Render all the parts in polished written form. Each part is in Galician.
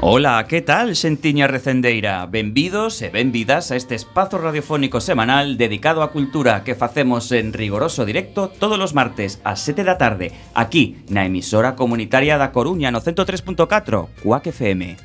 Ola, que tal, xentiña recendeira? Benvidos e benvidas a este espazo radiofónico semanal dedicado á cultura que facemos en rigoroso directo todos os martes ás 7 da tarde, aquí na emisora comunitaria da Coruña no 103.4, Cuac FM.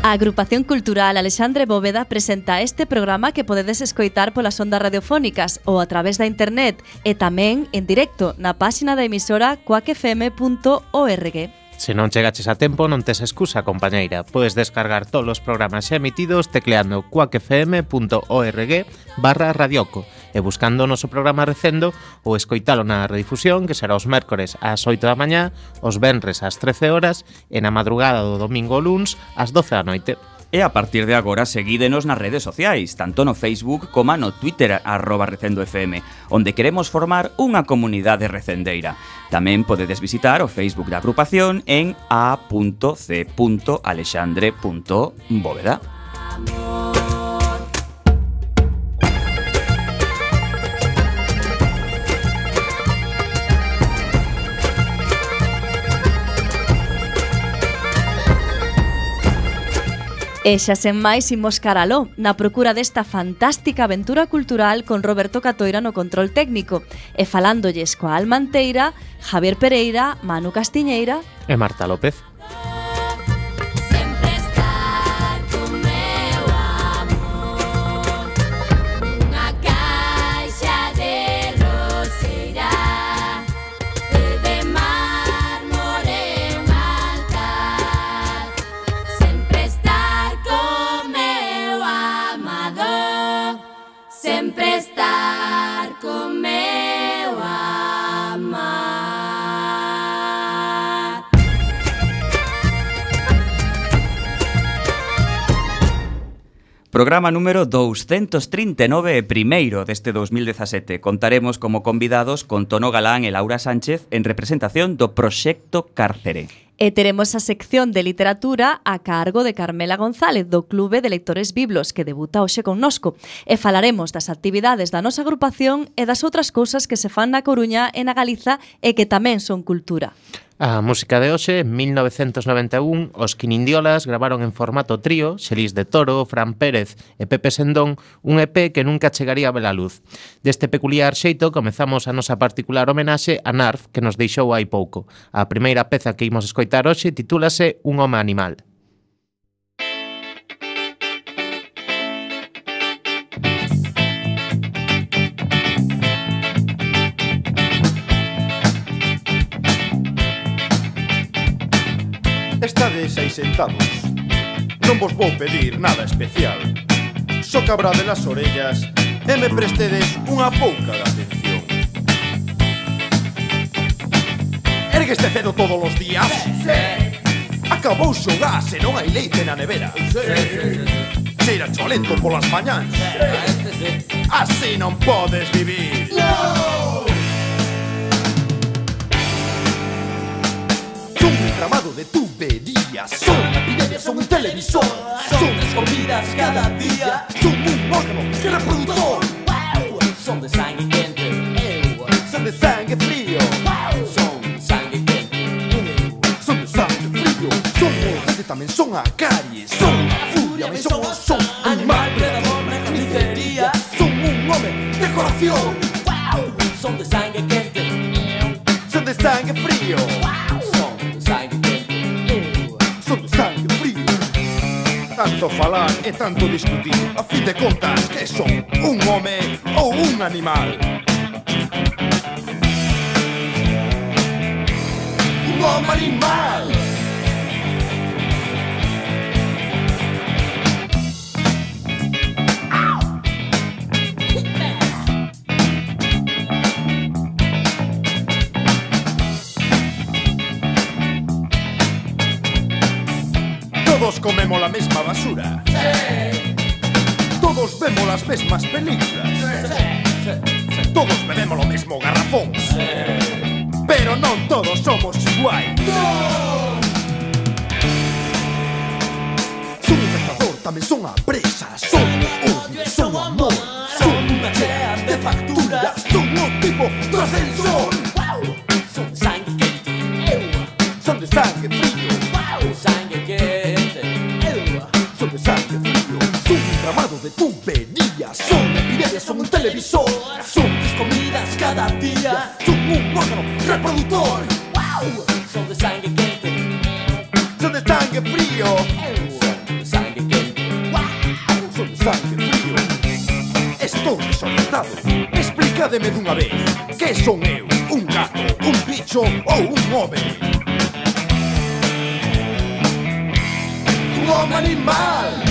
A Agrupación Cultural Alexandre Bóveda presenta este programa que podedes escoitar polas ondas radiofónicas ou a través da internet e tamén en directo na páxina da emisora cuacfm.org. Se non chegaches a tempo, non tes excusa, compañeira. Podes descargar todos os programas xa emitidos tecleando cuacfm.org/radioco e buscando o noso programa recendo ou escoitalo na redifusión, que será os mércores ás 8 da mañá, os venres ás 13 horas e na madrugada do domingo ou luns ás 12 da noite. E a partir de agora seguídenos nas redes sociais, tanto no Facebook como no Twitter @recendofm, onde queremos formar unha comunidade recendeira. Tamén podedes visitar o Facebook da agrupación en a.c.alexandre.bóveda. E xa sen máis imos caraló, na procura desta fantástica aventura cultural con Roberto Catoira no control técnico e falándolles coa Alma Anteira, Javier Pereira, Manu Castiñeira e Marta López. Programa número 239 e primeiro deste 2017. Contaremos como convidados con Tono Galán e Laura Sánchez en representación do Proxecto Cárcere. E teremos a sección de literatura a cargo de Carmela González do Clube de Lectores Biblos que debuta hoxe connosco. E falaremos das actividades da nosa agrupación e das outras cousas que se fan na Coruña e na Galiza e que tamén son cultura. A música de hoxe, en 1991, os Quinindiolas gravaron en formato trío, Xelís de Toro, Fran Pérez e Pepe Sendón, un EP que nunca chegaría a ver a luz. Deste peculiar xeito comezamos a nosa particular homenaxe a Narf, que nos deixou hai pouco. A primeira peza que imos escoitar hoxe titúlase Un home animal. Estades aí sentados, non vos vou pedir nada especial. Só que abrade as orellas e me prestedes unha pouca de atención. Ergueste cedo todos os días? Sí. Acabou o gas e non hai leite na nevera? Sí. Cheira cholento polas mañáns? Sí. Así non podes vivir. No! Son un entramado de tuberías, son epidemias, son un televisor, son escopidas cada día, son un órgano reproductor. Son de sangre quente, son de sangre frío, son sangre quente, son de sangre frío, son morte, tamén son a caries, son a furia, son animal predador na carnicería, son un home de corazón, son de sangre quente, son de sangre frío. Tanto falar e tanto discutir, a fin de contas, que son un home ou un animal? Un home animal! Todos comemos la mesma basura. Sí. Todos vemos las mesmas películas. Sí. Todos bebemos lo mismo garrafón. Sí. Pero non todos somos iguais. No. Son un cazador, tamén son a presa. Son o odio, son o amor. Son unha tuberías. Son epidemias, son un televisor. Son 3 comidas cada día. Son un órgano reproductor. Wow. Son de sangre quente. Son de sangre frío. Son de sangre quente. Wow. Son de sangre frío. Estou desorientado. Explícademe dunha vez. Que son eu? Un gato, un bicho ou un home? Un home animal.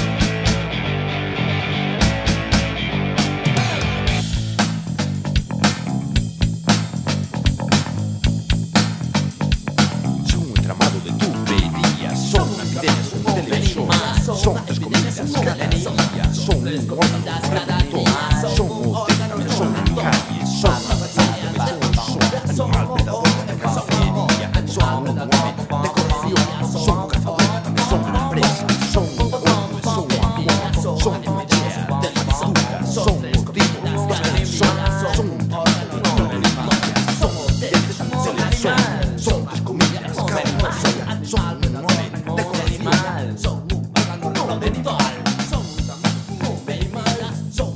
Son un entramado de tuberías. Son una epidemia, son un televisor. Son 3 comidas cada día. Son un órgano reproductor. Son múltiples, son caries. Son animal predador de cacería. Son un hombre de corrupción. Son cazadores, son presa. Son hombres, son amigos. Son pelea de factura. Son motivos de personas. Son son 3 comidas cada día. Son un hombre de corrupción. Son un órgano reproductor. Son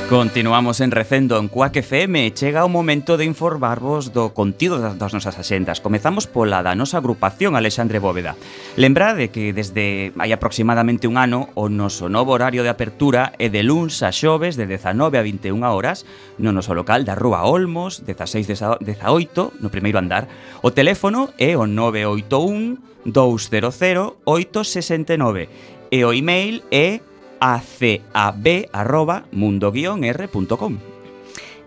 Continuamos en Recendo en Cuac FM. Chega o momento de informarvos do contido das nosas axendas. Comezamos pola da nosa agrupación Alexandre Bóveda. Lembrade que desde hai aproximadamente un ano o noso novo horario de apertura é de luns a xoves de 19 a 21 horas no noso local da Rúa Olmos, 16-18, no primeiro andar. O teléfono é o 981 200 869 e o email é acab@mundo-r.com.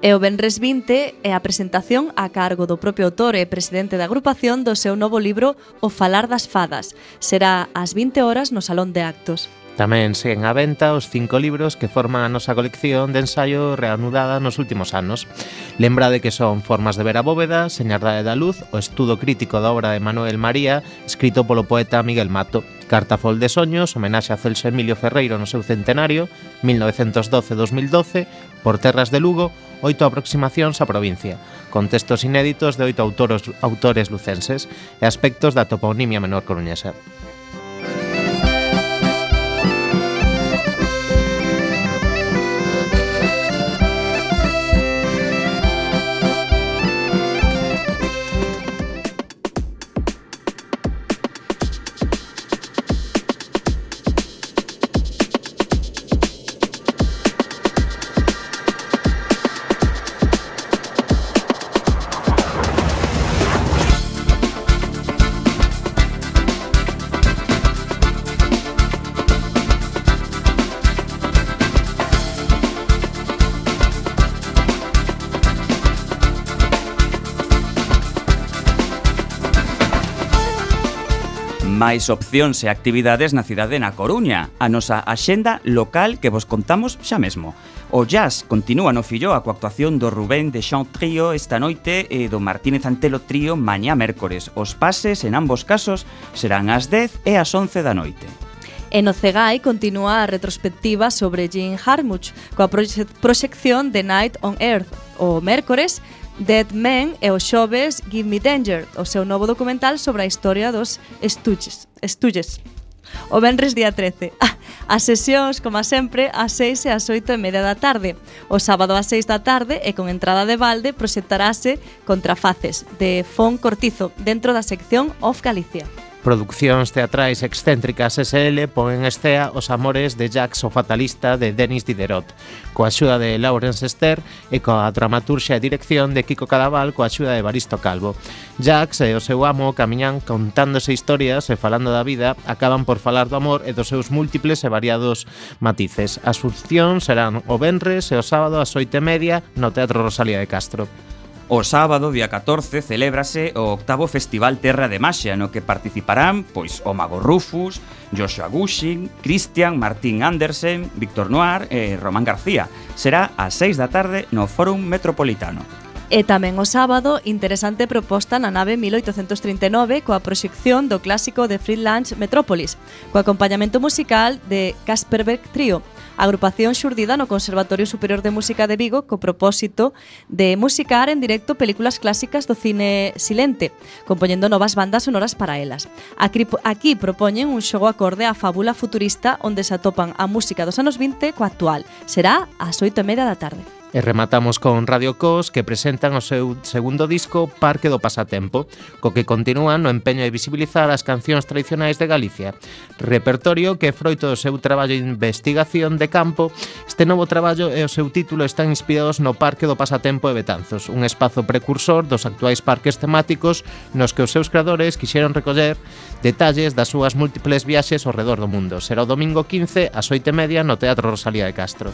E o venres 20 é a presentación a cargo do propio autor e presidente da agrupación do seu novo libro O Falar das Fadas. Será ás 20 horas no Salón de Actos. Tamén seguen á venta os 5 libros que forman a nosa colección de ensaio reanudada nos últimos anos. Lembrade que son Formas de ver a Bóveda, Señardade da Luz, o estudo crítico da obra de Manuel María, escrito polo poeta Miguel Mato, Cartafol de Soños, homenaxe a Celso Emilio Ferreiro no seu centenario, 1912-2012, Por terras de Lugo, 8 aproximacións á provincia, con textos inéditos de 8 autores lucenses e aspectos da toponimia menor coruñesa. Máis opcións e actividades na cidade na Coruña. A nosa axenda local que vos contamos xa mesmo. O jazz continúa no Filloa coa actuación do Rubén de Chant Trío esta noite e do Martínez Antelo Trío mañá mércores. Os pases en ambos casos serán ás 10 e ás 11 da noite. E no Cegai continúa a retrospectiva sobre Jim Jarmusch coa proxección The Night on Earth. O mércores, Dead Men e o xoves Give Me Danger, o seu novo documental sobre a historia dos Stooges. O venres día 13. As sesións, como sempre, ás 6 e ás 8:30 da tarde. O sábado ás 6 da tarde e con entrada de balde proxectarase Contrafaces, de Fon Cortizo, dentro da sección Off Galicia. Produccións teatrais excéntricas SL pon en escea Os amores de Jacques o fatalista de Denis Diderot, coa axuda de Laurence Ester e coa dramaturxia e dirección de Kiko Cadaval coa axuda de Evaristo Calvo. Jacques e o seu amo camiñan contándose historias e falando da vida, acaban por falar do amor e dos seus múltiples e variados matices. As funcións serán o venres e o sábado ás 8:30 no Teatro Rosalía de Castro. O sábado, día 14, celébrase o 8º Festival Terra de Maxia, no que participarán pois o Mago Rufus, Joshua Gushing, Christian, Martín Andersen, Víctor Noir e Román García. Será ás 6 da tarde no Fórum Metropolitano. E tamén o sábado, interesante proposta na nave 1839 coa proxección do clásico de Friedland Metrópolis, co acompañamento musical de Kasperberg Trio, agrupación xurdida no Conservatorio Superior de Música de Vigo co propósito de musicar en directo películas clásicas do cine silente, compoñendo novas bandas sonoras para elas. Aquí propoñen un xogo acorde á fábula futurista onde se atopan a música dos anos 20 coa actual. Será ás 8:30 da tarde. E rematamos con Radio Cos, que presentan o seu segundo disco Parque do Pasatempo, co que continúan no empeño de visibilizar as cancións tradicionais de Galicia. Repertorio que, froito do seu traballo de investigación de campo, este novo traballo e o seu título están inspirados no Parque do Pasatempo de Betanzos, un espazo precursor dos actuais parques temáticos nos que os seus creadores quixeron recoller detalles das súas múltiples viaxes ao redor do mundo. Será o domingo 15 ás 8:30 no Teatro Rosalía de Castro.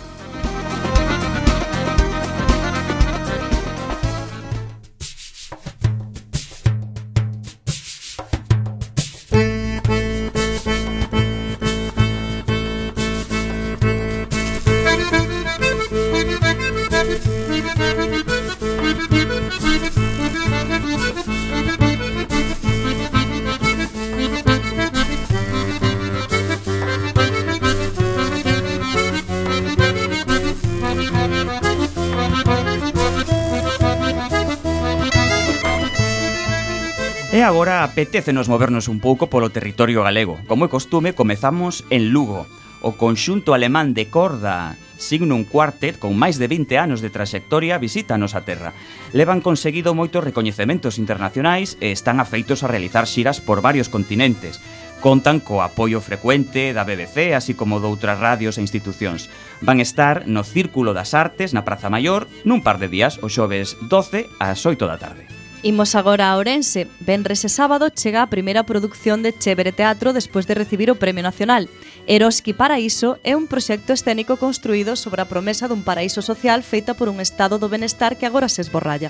E agora apetécenos movernos un pouco polo territorio galego. Como é costume, comezamos en Lugo. O conxunto alemán de corda Signum Quartet, con máis de 20 anos de traxectoria, visita a nosa terra. Levan conseguido moitos recoñecementos internacionais e están afeitos a realizar xiras por varios continentes. Contan co apoio frecuente da BBC, así como doutras radios e institucións. Van estar no Círculo das Artes, na Praza Maior, nun par de días, o xoves 12 ás 8 da tarde. Imos agora a Ourense. Venres e sábado chega a primeira produción de Chévere Teatro despois de recibir o Premio Nacional. Eroski Paraíso é un proxecto escénico construído sobre a promesa dun paraíso social feita por un estado do benestar que agora se esborralla.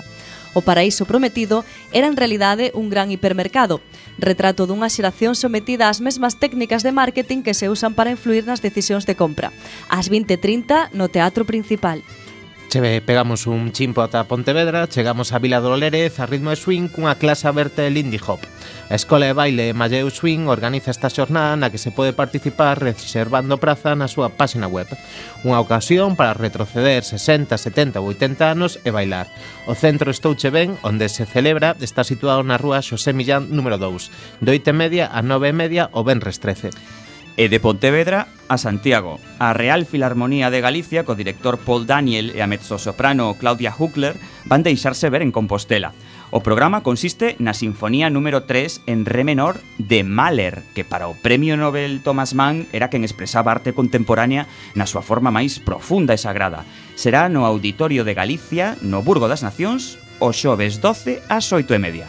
O paraíso prometido era en realidade un gran hipermercado, retrato dunha xeración sometida ás mesmas técnicas de marketing que se usan para influir nas decisións de compra. Ás 20:30 no Teatro Principal. Pegamos un chimpo ata Pontevedra, chegamos a Vila do Lérez a ritmo de swing cunha clase aberta de Lindy Hop. A Escola de Baile Malleu Swing organiza esta xornada na que se pode participar reservando praza na súa páxina web. Unha ocasión para retroceder 60, 70 ou 80 anos e bailar. O centro Estouche Ben, onde se celebra, está situado na rúa Xosé Millán número 2, de 8:30 a 9:30 o venres 13. E de Pontevedra a Santiago. A Real Filarmonía de Galicia, co director Paul Daniel e a mezzosoprano Claudia Huckler, van deixarse ver en Compostela. O programa consiste na Sinfonía número 3 en re menor de Mahler, que para o Premio Nobel Thomas Mann era quen expresaba arte contemporánea na súa forma máis profunda e sagrada. Será no Auditorio de Galicia, no Burgo das Nacións, o xoves 12 ás 8:30.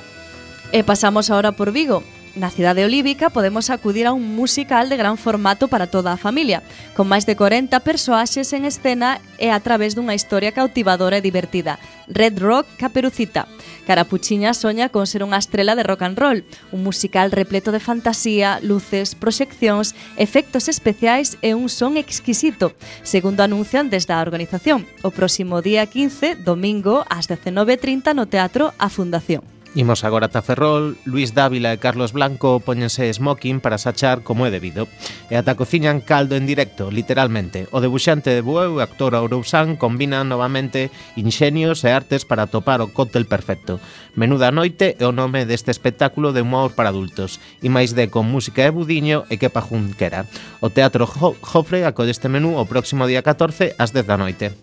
E pasamos ahora por Vigo. Na cidade olívica podemos acudir a un musical de gran formato para toda a familia, con máis de 40 persoaxes en escena e a través dunha historia cautivadora e divertida. Red Rock Caperucita. Carapuchiña soña con ser unha estrela de rock and roll, un musical repleto de fantasía, luces, proxeccións, efectos especiais e un son exquisito, segundo anuncian desde a organización. O próximo día 15, domingo, ás 19:30 no Teatro A Fundación. Imos agora ata Ferrol. Luis Dávila e Carlos Blanco póñense smoking para sachar como é debido. E ata cociñan caldo en directo, literalmente. O debuxante de Bueu e actor Ourousán combinan novamente inxenios e artes para atopar o cóctel perfecto. Menuda noite é o nome deste espectáculo de humor para adultos. E máis de con música de Budiño e que pajunquera. O Teatro Jofre acolle este menú o próximo día 14 ás 10 da noite.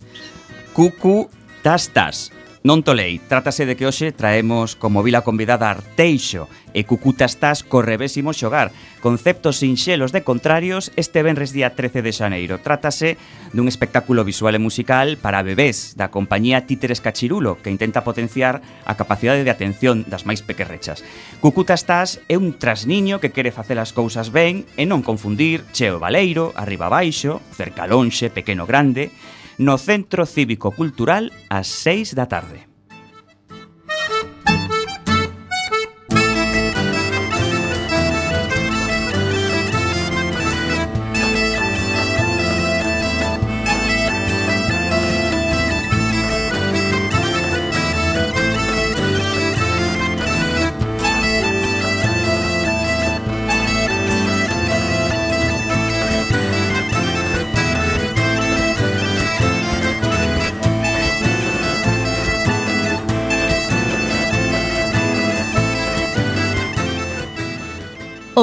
Cucu Tas. Non tolei, trátase de que hoxe traemos como vila convidada Arteixo e Cucutastas co revésimo xogar, conceptos sinxelos de contrarios este venres día 13 de xaneiro. Trátase dun espectáculo visual e musical para bebés da compañía Títeres Cachirulo, que intenta potenciar a capacidade de atención das máis pequerrechas. Cucutastas é un trasniño que quere facer as cousas ben e non confundir cheo baleiro, arriba baixo, cerca lonxe, pequeno grande, no Centro Cívico Cultural ás 6 da tarde.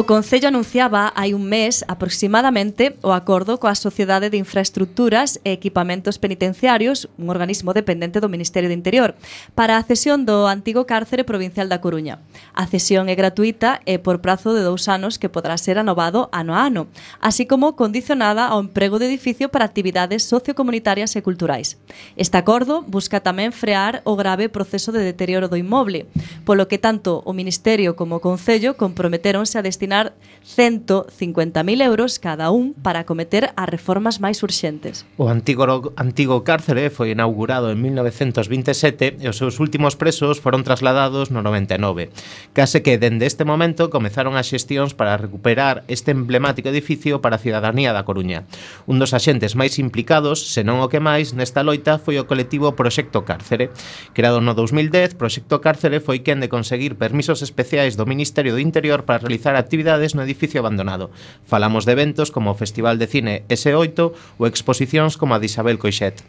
O Concello anunciaba hai un mes aproximadamente o acordo coa Sociedade de Infraestructuras e Equipamentos Penitenciarios, un organismo dependente do Ministerio do Interior, para a cesión do antigo cárcere provincial da Coruña. A cesión é gratuita e por prazo de 2 anos que poderá ser anovado ano a ano, así como condicionada ao emprego de edificio para actividades sociocomunitarias e culturais. Este acordo busca tamén frear o grave proceso de deterioro do inmoble, polo que tanto o Ministerio como o Concello comprometeronse a destinar 150.000 euros cada un para acometer as reformas máis urxentes. O antigo cárcere foi inaugurado en 1927 e os seus últimos presos foron trasladados no 99. Case que dende este momento comezaron as xestións para recuperar este emblemático edificio para a cidadanía da Coruña. Un dos axentes máis implicados, senón o que máis, nesta loita foi o colectivo Proxecto Cárcere. Creado no 2010, Proxecto Cárcere foi quen de conseguir permisos especiais do Ministerio do Interior para realizar actividades no edificio abandonado. Falamos de eventos como o Festival de Cine S8 ou exposicións como a de Isabel Coixet.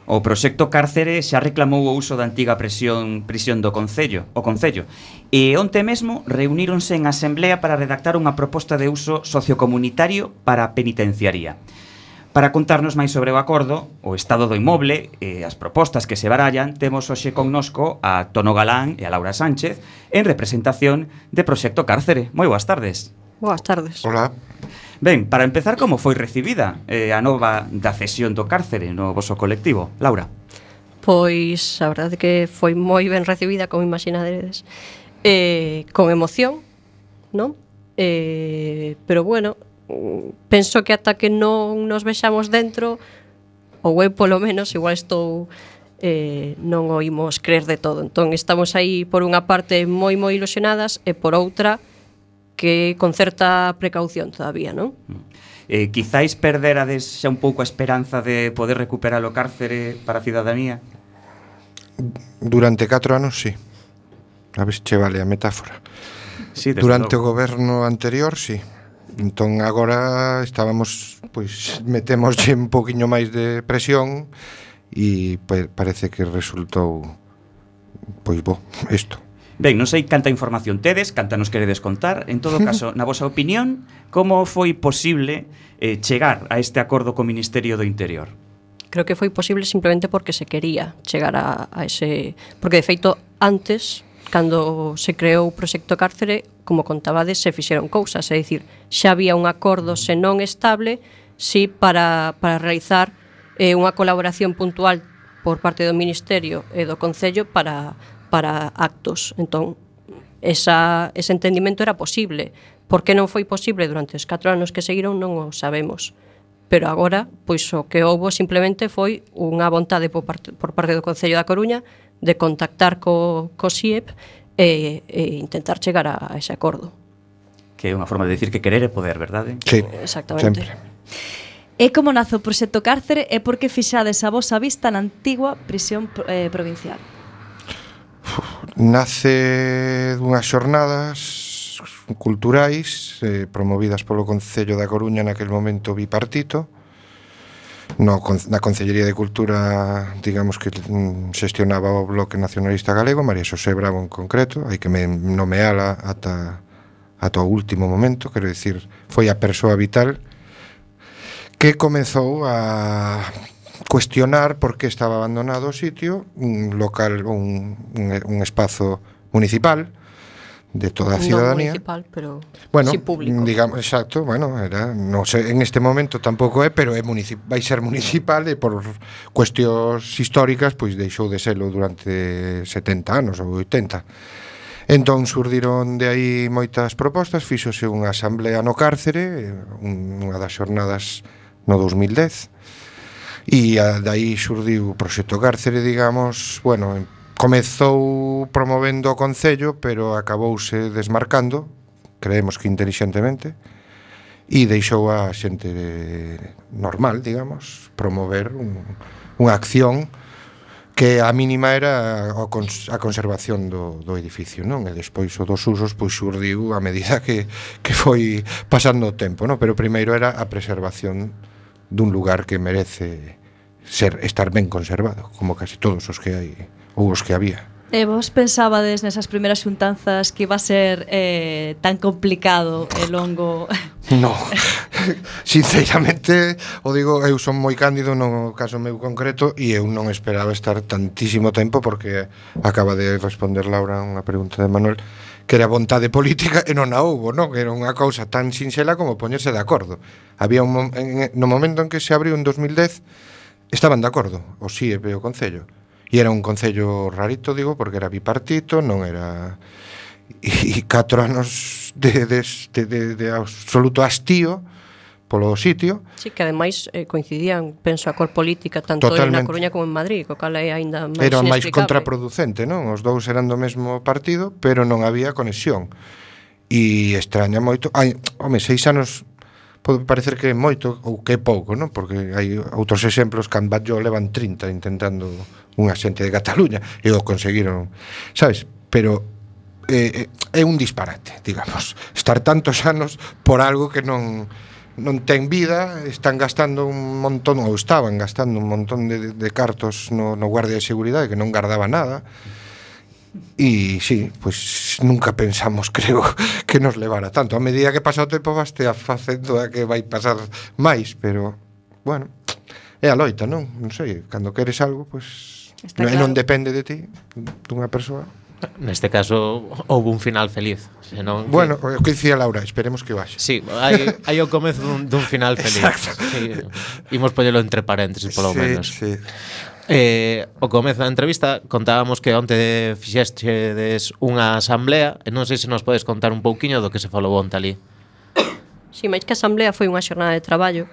O Proxecto Cárcere xa reclamou o uso da antiga prisión do Concello, e onte mesmo reuníronse en asemblea para redactar unha proposta de uso sociocomunitario para a penitenciaría. Para contarnos máis sobre o acordo, o estado do inmoble e as propostas que se barallan, temos hoxe connosco a Tono Galán e a Laura Sánchez en representación de Proxecto Cárcere. Moi boas tardes. Boas tardes. Hola. Ben, para empezar, como foi recibida a nova da cesión do cárcere no voso colectivo? Laura. Pois a verdade que foi moi ben recibida, como imaginades, con emoción, non? Pero bueno, penso que ata que non nos vexamos dentro, ou eu polo menos, igual estou non o imos creer de todo. Entón estamos aí por unha parte moi ilusionadas e por outra que con certa precaución todavía, non? Quizáis perderades xa un pouco a esperanza de poder recuperar o cárcere para a cidadanía? Durante 4 anos, sí. A ver se che vale a metáfora. Sí, durante o goberno anterior, sí. Entón agora estábamos, pois metémoslle un poquinho máis de presión e parece que resultou pois bo, isto. Ben, non sei canta información tedes, canta nos queredes contar. En todo caso, na vosa opinión, como foi posible chegar a este acordo co Ministerio do Interior? Creo que foi posible simplemente porque se quería chegar a ese... Porque, de feito, antes, cando se creou o Proxecto Cárcere, como contabades, se fixeron cousas. É dicir, xa había un acordo senón estable, sí, para realizar unha colaboración puntual por parte do Ministerio e do Concello para actos. Entón, ese entendimento era posible. Por que non foi posible durante os 4 anos que seguiron non o sabemos. Pero agora, pois o que houbo simplemente foi unha vontade por parte do Concello da Coruña de contactar co CIEP e intentar chegar a ese acordo. Que é unha forma de decir que querer é poder, verdade? Sí, exactamente. Sempre. E como nace o Proxecto Cárcere e por que fixades a vosa vista na antigua prisión provincial? Nace dunhas xornadas culturais promovidas polo Concello da Coruña naquel momento bipartito. Na Concellería de Cultura, digamos que xestionaba o Bloque Nacionalista Galego, María Xosé Bravo en concreto, hai que nomeala ata o último momento, quero dicir, foi a persoa vital que comezou a cuestionar por que estaba abandonado o sitio, un local, un espazo municipal de toda a cidadanía. Non municipal, pero bueno, sí público. Digamos, exacto, bueno, era, no sé, en este momento tampouco é, pero vai ser municipal e por cuestións históricas pois deixou de serlo durante 70 anos ou 80. Entón surdiron de aí moitas propostas, fíxose unha asamblea no cárcere, unha das xornadas no 2010. E dai surdiu o Proxecto Cárcere, digamos, bueno, comezou promovendo o Concello, pero acabouse desmarcando, creemos que intelixentemente, e deixou a xente normal, digamos, promover unha acción que a mínima era a conservación do edificio, non? E despois o dos usos pois surdiu a medida que foi pasando o tempo, non? Pero primeiro era a preservación dun lugar que merece estar ben conservado, como casi todos os que hai ou os que había. E vos pensabades nesas primeiras xuntanzas que iba a ser tan complicado e longo? No, sinceramente, o digo, eu son moi cándido no caso meu concreto e eu non esperaba estar tantísimo tempo porque acaba de responder Laura unha pregunta de Manuel que era vontade política e non a houbo, non? Que era unha cousa tan sinxela como poñerse de acordo. Había no momento en que se abriu en 2010 estaban de acordo, o SIEP e o Concello. E era un concello rarito, digo, porque era bipartito, non era... E 4 anos de absoluto hastío polo sitio. Sí, que ademais coincidían, penso, a cor política tanto Totalmente. na Coruña como en Madrid, co cal é aínda máis Era máis inexplicable. contraproducente, non? Os dous eran do mesmo partido, pero non había conexión. E extraña moito... Ai, home, 6 anos pode parecer que é moito ou que é pouco, non? Porque hai outros exemplos que en Batlló levan 30 intentando unha xente de Cataluña e o conseguiron, sabes? Pero é un disparate, digamos, estar tantos anos por algo que non ten vida, están gastando un montón, ou estaban gastando un montón de cartos no guardia de seguridade que non guardaba nada. E sí, pues nunca pensamos, creo, que nos levara tanto. A medida que pasa o tempo vaste a facendo a que vai pasar máis, pero bueno, é a loita, non? Non sei, cando queres algo, pues non depende de ti, dunha persoa. Neste caso houve un final feliz, senón bueno, o que dicía Laura, esperemos que vaxe. Sí, hai o comezo dun final feliz. Sí, imos poñelo entre paréntesis polo menos. Sí. O comezo da entrevista contábamos que onte fixestes unha asamblea e non sei se nos podes contar un pouquiño do que se falou onte ali. Si, máis que a asamblea foi unha xornada de traballo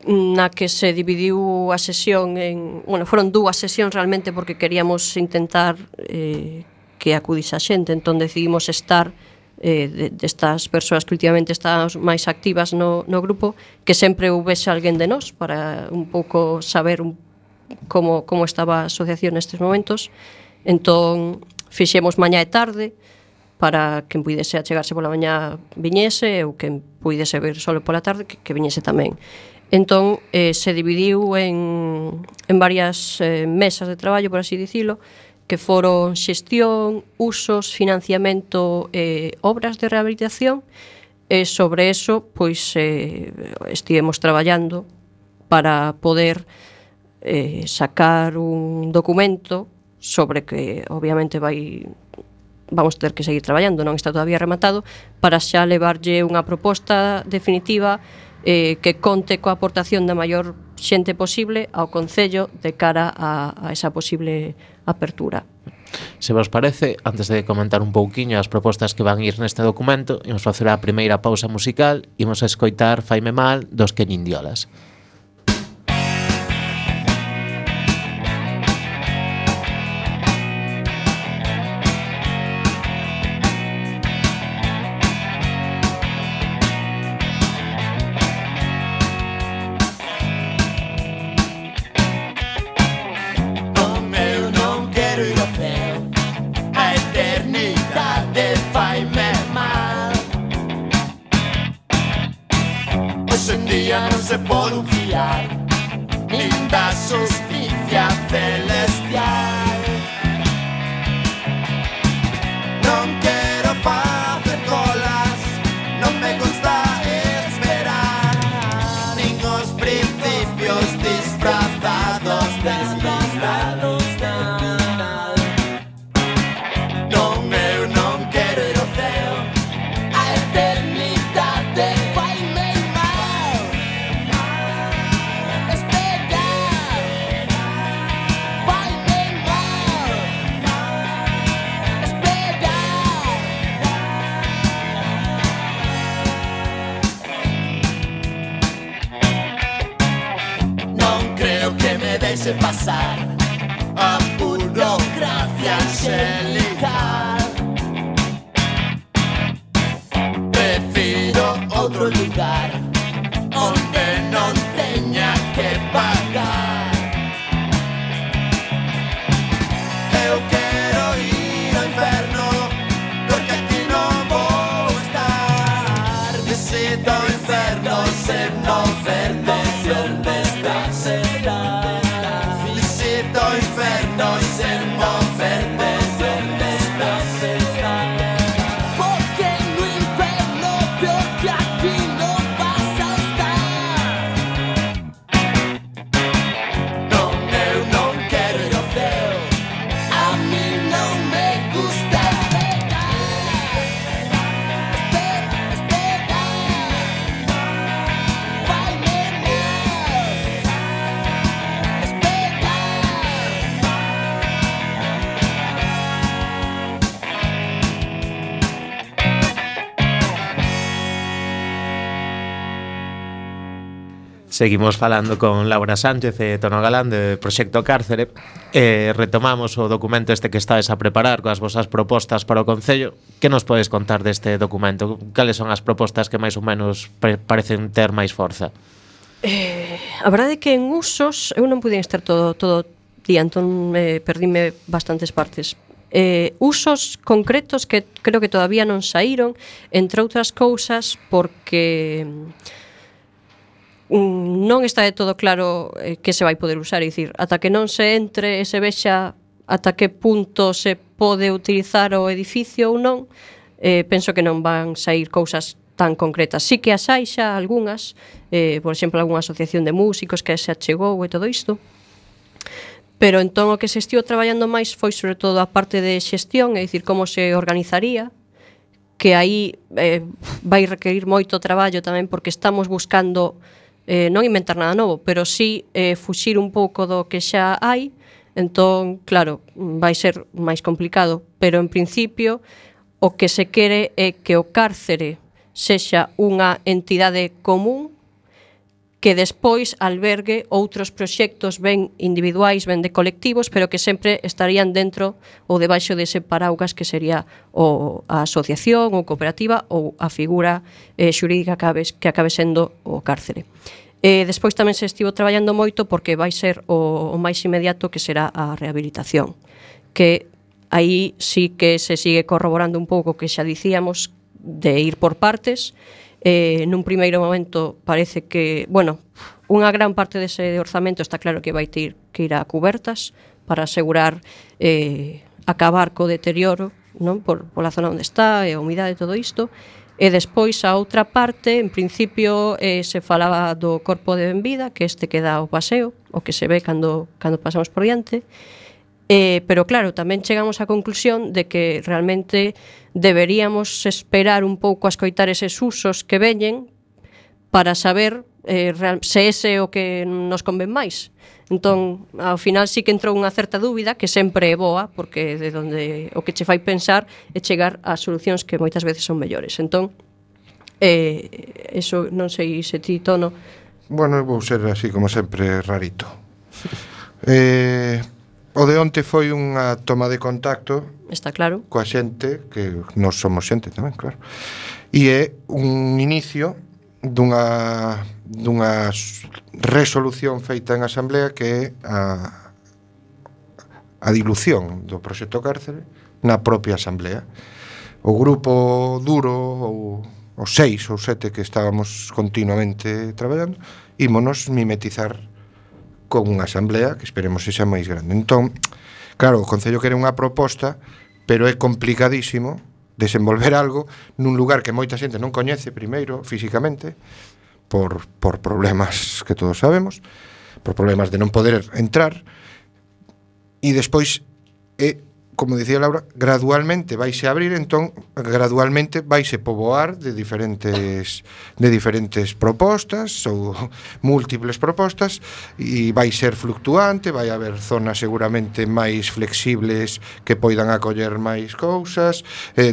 na que se dividiu a sesión en... Bueno, foron 2 sesións realmente porque queríamos intentar que acudise a xente, entón decidimos estar destas persoas que últimamente están máis activas no grupo, que sempre houvese alguén de nós para un pouco saber como estaba a asociación nestes momentos. Entón fixemos mañá e tarde para quen puidese achegarse pola mañá viñese ou quen puidese ver solo pola tarde que viñese tamén. Entón se dividiu en varias mesas de traballo, por así dicilo, que foron xestión, usos, financiamento e obras de rehabilitación, e sobre eso pois estivemos traballando para poder sacar un documento sobre que obviamente vamos ter que seguir traballando, non está todavía rematado, para xa levarlle unha proposta definitiva que conte coa aportación da maior xente posible ao Concello de cara a esa posible apertura. Se vos parece, antes de comentar un pouquiño as propostas que van ir neste documento, imos facer a primeira pausa musical, imos a escoitar Faime Mal dos Quenindiolas. Non se pode fiar nin da justicia celestial. Non quero facer colas, non me gusta esperar, nin os principios disfrazados deslizlados. Non, eu non quero ir ao ceo, a eternidade faime mal. Deixe pasar a burocracia angelical. Prefiro outro lugar onde non teña que pagar. Eu quero ir ao inferno porque aquí non vou estar. Visito o inferno sen non verte onde está será. Inferno Seguimos falando con Laura Sánchez e Tono Galán de Proxecto Cárcere. Retomamos o documento este que estáis a preparar coas vosas propostas para o Concello. Que nos podes contar deste documento? Cales son as propostas que máis ou menos parecen ter máis forza? A verdade é que en usos eu non pude estar todo día, entón perdíme bastantes partes. Usos concretos que creo que todavía non saíron, entre outras cousas porque non está de todo claro que se vai poder usar, é dicir, ata que non se entre e se vexa ata que punto se pode utilizar o edificio ou non, penso que non van sair cousas tan concretas. Sí que as hai xa algunhas, por exemplo, algunha asociación de músicos que se achegou e todo isto, pero entón o que se estivo traballando máis foi sobre todo a parte de xestión, é dicir, como se organizaría, que aí vai requerir moito traballo tamén porque estamos buscando non inventar nada novo, pero sí fuxir un pouco do que xa hai. Entón, claro, vai ser máis complicado, pero en principio o que se quere é que o cárcere sexa unha entidade común que despois albergue outros proxectos ben individuais, ben de colectivos, pero que sempre estarían dentro ou debaixo dese paraugas que sería a asociación ou cooperativa ou a figura xurídica que acabe sendo o cárcere. Despois tamén se estivo traballando moito porque vai ser o máis inmediato que será a rehabilitación, que aí sí que se sigue corroborando un pouco que xa dicíamos de ir por partes. Nun primeiro momento parece que, bueno, unha gran parte dese orzamento está claro que vai ter que ir a cubertas para asegurar acabar co deterioro, non, pola zona onde está e a humidade e todo isto. E despois a outra parte, en principio se falaba do corpo de benvida, que este que dá o paseo, o que se ve cando pasamos por diante. Pero claro, tamén chegamos á conclusión de que realmente deberíamos esperar un pouco a escoitar eses usos que veñen para saber se ese é o que nos convén máis. Entón, ao final sí que entrou unha certa dúbida, que sempre é boa, porque de onde o que che fai pensar é chegar a solucións que moitas veces son mellores. Entón, eso non sei se ti, Tono. Bueno, eu vou ser así como sempre rarito. O de onte foi unha toma de contacto, está claro, coa xente, que nós somos xente tamén, claro. E é un inicio dunha resolución feita en asamblea que é a dilución do proxecto Cárcere na propia asamblea. O grupo duro, ou os 6 ou 7 que estábamos continuamente traballando, ímonos mimetizar con unha asamblea que esperemos que xa máis grande. Entón, claro, o Concello quere unha proposta, pero é complicadísimo desenvolver algo nun lugar que moita xente non coñece primeiro físicamente por problemas que todos sabemos, por problemas de non poder entrar, e despois como dicía Laura, gradualmente vaise abrir, entón gradualmente vaise poboar de diferentes propostas ou múltiples propostas, e vai ser fluctuante, vai haber zonas seguramente máis flexibles que poidan acoller máis cousas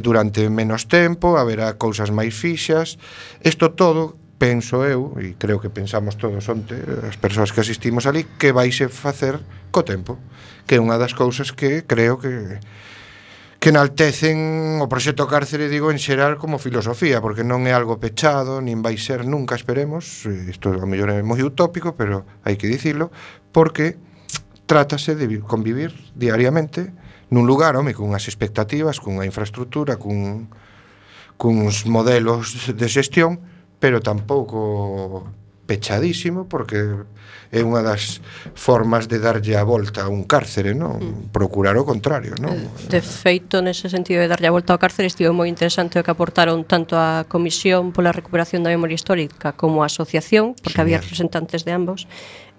durante menos tempo, haberá cousas máis fixas. Isto todo, penso eu, e creo que pensamos todos onte, as persoas que asistimos ali, que vaise facer co tempo, que é unha das cousas que creo que enaltecen o proxecto Cárcere, digo, en xeral como filosofía, porque non é algo pechado, nin vai ser nunca, esperemos, isto a mellor é moi utópico, pero hai que dicilo, porque trátase de convivir diariamente nun lugar, home, con unhas expectativas, cunha infraestructura, cuns modelos de xestión, pero tampouco pechadísimo, porque é unha das formas de darlle a volta a un cárcere, non? Procurar o contrario, non? De feito, nese sentido de darlle a volta ao cárcere, estivo moi interesante o que aportaron tanto a Comisión pola Recuperación da Memoria Histórica como a Asociación, porque había representantes de ambos,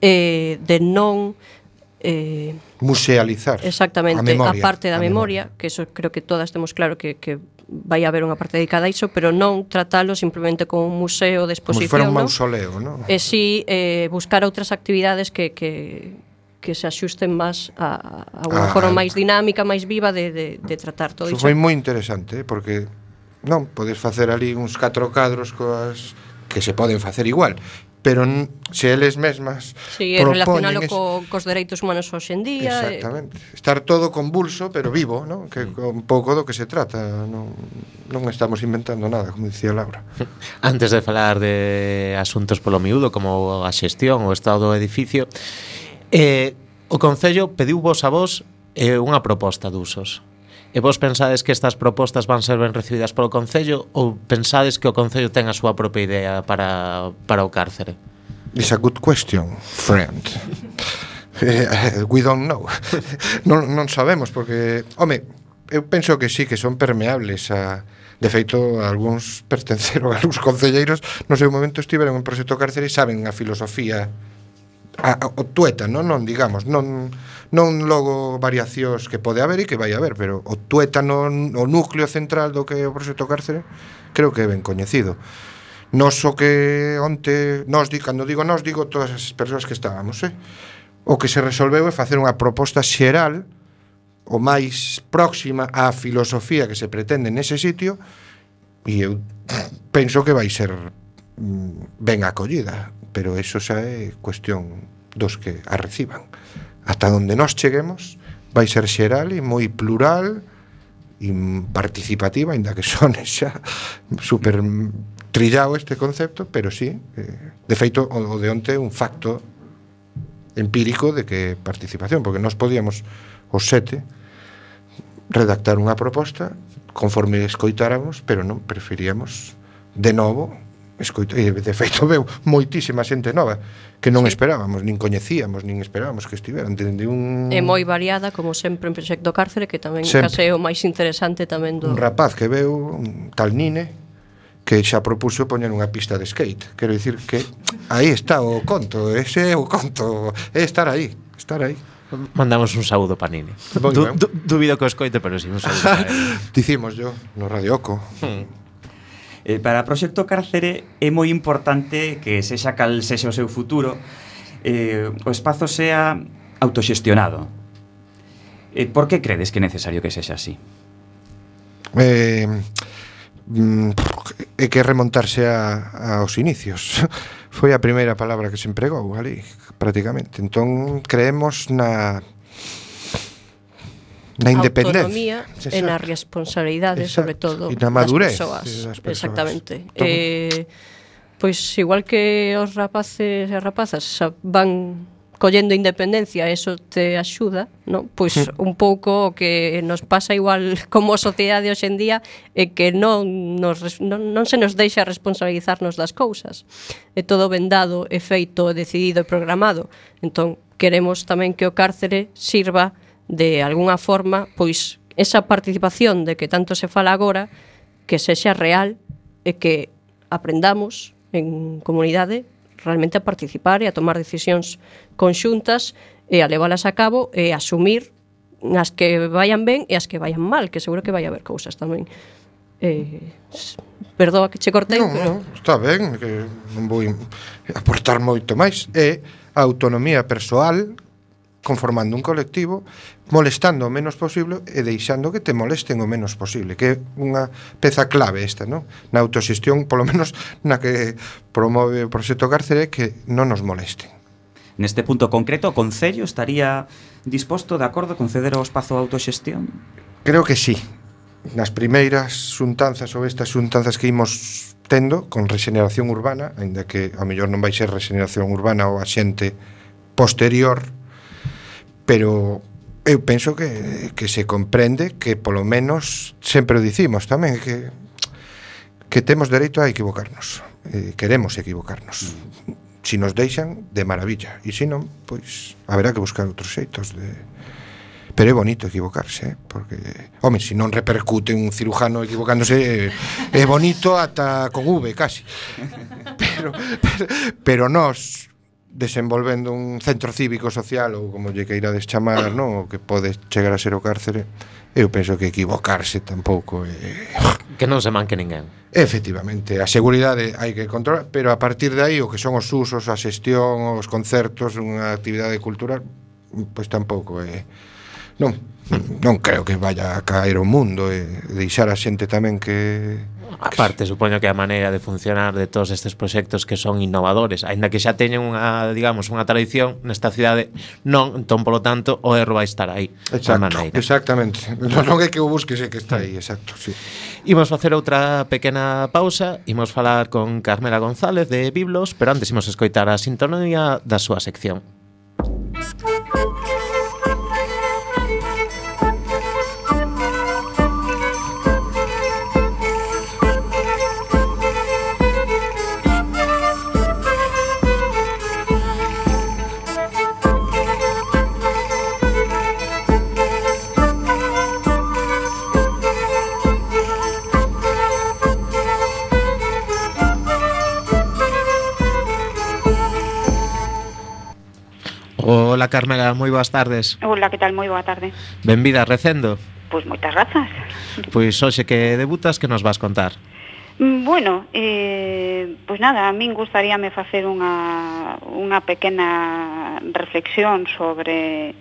de non musealizar exactamente a parte da memoria, que eso creo que todas temos claro que vai haber unha parte dedicada a iso, pero non tratalo simplemente como un museo de exposición, como se fora un mausoleo, non? E si buscar outras actividades que se axusten máis a unha forma máis dinámica, máis viva de tratar todo iso. Foi moi interesante, porque non podes facer ali uns 4 cadros coas que se poden facer igual, pero se eles mesmas Sí, é relacionalo propoñen cos dereitos humanos hoxe en día. exactamente, estar todo convulso pero vivo, ¿no? Que un pouco do que se trata, non estamos inventando nada, como dicía Laura. Antes de falar de asuntos polo miúdo como a xestión, o estado do edificio, o Concello pediu-vos a vos unha proposta de usos. E vos pensades que estas propostas van ser ben recibidas polo Concello ou pensades que o Concello ten a súa propia idea para o cárcere? It's a good question, friend. We don't know. non sabemos porque, home, eu penso que sí, que son permeables a... De feito, algúns pertenceron a algúns concelleiros no seu momento estiveron en proxecto cárcere e saben a filosofía o tuétano, non digamos, non logo variacións que pode haber e que vai haber, pero o tuétano, o núcleo central do que é o proxecto cárcere, creo que é ben coñecido. Nos o que onte, cando digo nos, digo todas as persoas que estábamos, o que se resolveu é facer unha proposta xeral o máis próxima á filosofía que se pretende nese sitio e eu penso que vai ser ben acollida, pero eso xa é cuestión dos que a reciban. Ata onde nós cheguemos vai ser xeral e moi plural e participativa, ainda que sone xa super trillado este concepto, pero sí, de feito o de onte un facto empírico de que participación, porque nós podíamos os 7 redactar unha proposta conforme escoitáramos, pero non preferíamos de novo escoitar, e de feito veu moitísima xente nova que non esperábamos, nin coñecíamos, nin esperábamos que estiveran. É moi variada, como sempre en Proxecto Cárcere, que tamén case é o máis interesante tamén do... Un rapaz que veu, un tal Nine, que xa propuso poñer unha pista de skate. Quero dicir que aí está o conto, ese é o conto, é estar aí. Mandamos un saúdo pa Nini. Dubido que o escoite, pero si un saúdo para él. Dicimos yo, no Radio Oco. Para o Proxecto Cárcere é moi importante que sexa cal sexa o seu futuro, o espazo sea autoxestionado. Por que credes que é necesario que sexa así? É que remontarse aos inicios. Foi a primeira palabra que se empregou ali, prácticamente. Entón, creemos na independencia, autonomía e na responsabilidade, sobre todo, e na madurez das persoas. Exactamente. Pois igual que os rapaces e rapazas van collendo independencia, eso te axuda, non? Pois un pouco o que nos pasa igual como sociedade hoxe en día é que non se nos deixa responsabilizarnos das cousas. É todo vendado, é feito, decidido e programado. Entón, queremos tamén que o cárcere sirva de alguna forma, pois, esa participación de que tanto se fala agora, que sexa real e que aprendamos en comunidade realmente a participar e a tomar decisións conxuntas e a leválas a cabo e a asumir as que vayan ben e as que vayan mal, que seguro que vai haber cousas tamén. Perdoa que che cortei, pero... Non, está ben, que non vou aportar moito máis. É a autonomía persoal conformando un colectivo, molestando o menos posible e deixando que te molesten o menos posible, que é unha peza clave esta, non? Na autoxestión, polo menos na que promove o Proxecto Cárcere, que non nos molesten. Neste punto concreto, o Concello estaría disposto, de acordo, a conceder o espazo de autoxestión? Creo que sí. Nas primeiras xuntanzas ou estas xuntanzas que imos tendo con rexeneración urbana, aínda que a mellor non vai ser rexeneración urbana ou a xente posterior, pero eu penso que se comprende que polo menos sempre o dicimos tamén que temos dereito a equivocarnos, queremos equivocarnos. Si nos deixan, de maravilla, e se non, pois haberá que buscar outros xeitos de... Pero é bonito equivocarse, porque, home, se non repercute un cirujano equivocándose, é bonito ata con V, casi. Pero nós desenvolvendo un centro cívico social ou como lle queirades chamar, non, o que pode chegar a ser o cárcere, eu penso que equivocarse tampouco que non se manque ninguén. Efectivamente, a seguridade hai que controlar, pero a partir de aí o que son os usos, a xestión, os concertos, unha actividade cultural, pois tampouco é... Non Non creo que vaya a caer o mundo e deixar a xente tamén que Aparte, supoño que a maneira de funcionar de todos estes proxectos que son innovadores, aínda que xa teñen unha, digamos, unha tradición nesta cidade, non, entón, polo tanto, o erro vai estar aí. Exactamente. Non é que o busques, é que está aí, exacto, sí. Imos facer outra pequena pausa, imos falar con Carmela González de Biblos, pero antes imos escoitar a sintonía da súa sección. Hola Carmela, moi boas tardes. Hola, que tal? Moi boa tarde. Benvida a Recendo. Pois moitas grazas. Pois hoxe que debutas, que nos vas contar? Bueno, pois nada, a min gustaríame facer unha pequena reflexión sobre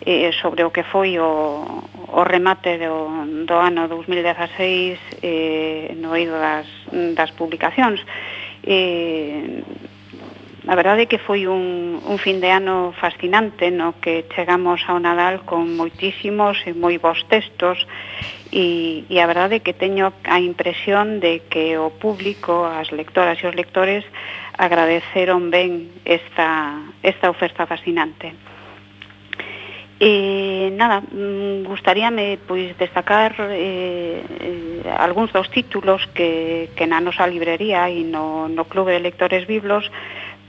o que foi o remate do ano 2016 no eido das publicacións. A verdade é que foi un fin de ano fascinante no que chegamos ao Nadal con moitísimos e moi bons textos e a verdade é que teño a impresión de que o público, as lectoras e os lectores agradeceron ben esta oferta fascinante. Nada, gustaríame pois destacar algúns dos títulos que na nosa librería e no Clube de Lectores Biblos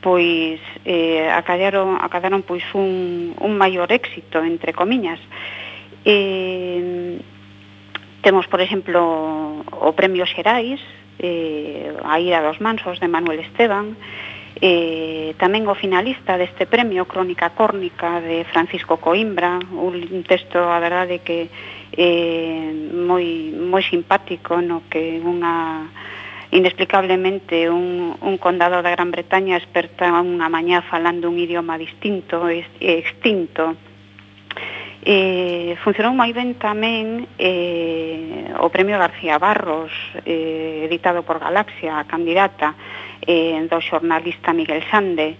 pois acadaron pois un maior éxito, entre comiñas. Temos, por exemplo, o Premio Xerais, A ira dos mansos, de Manuel Esteban, tamén o finalista deste premio, Crónica córnica, de Francisco Coimbra, un texto, a verdade, que moi simpático, no que inexplicablemente un condado da Gran Bretaña esperta unha mañá falando un idioma distinto e extinto. Funcionou moi ben tamén o Premio García Barros, editado por Galaxia, a candidata do xornalista Miguel Sande.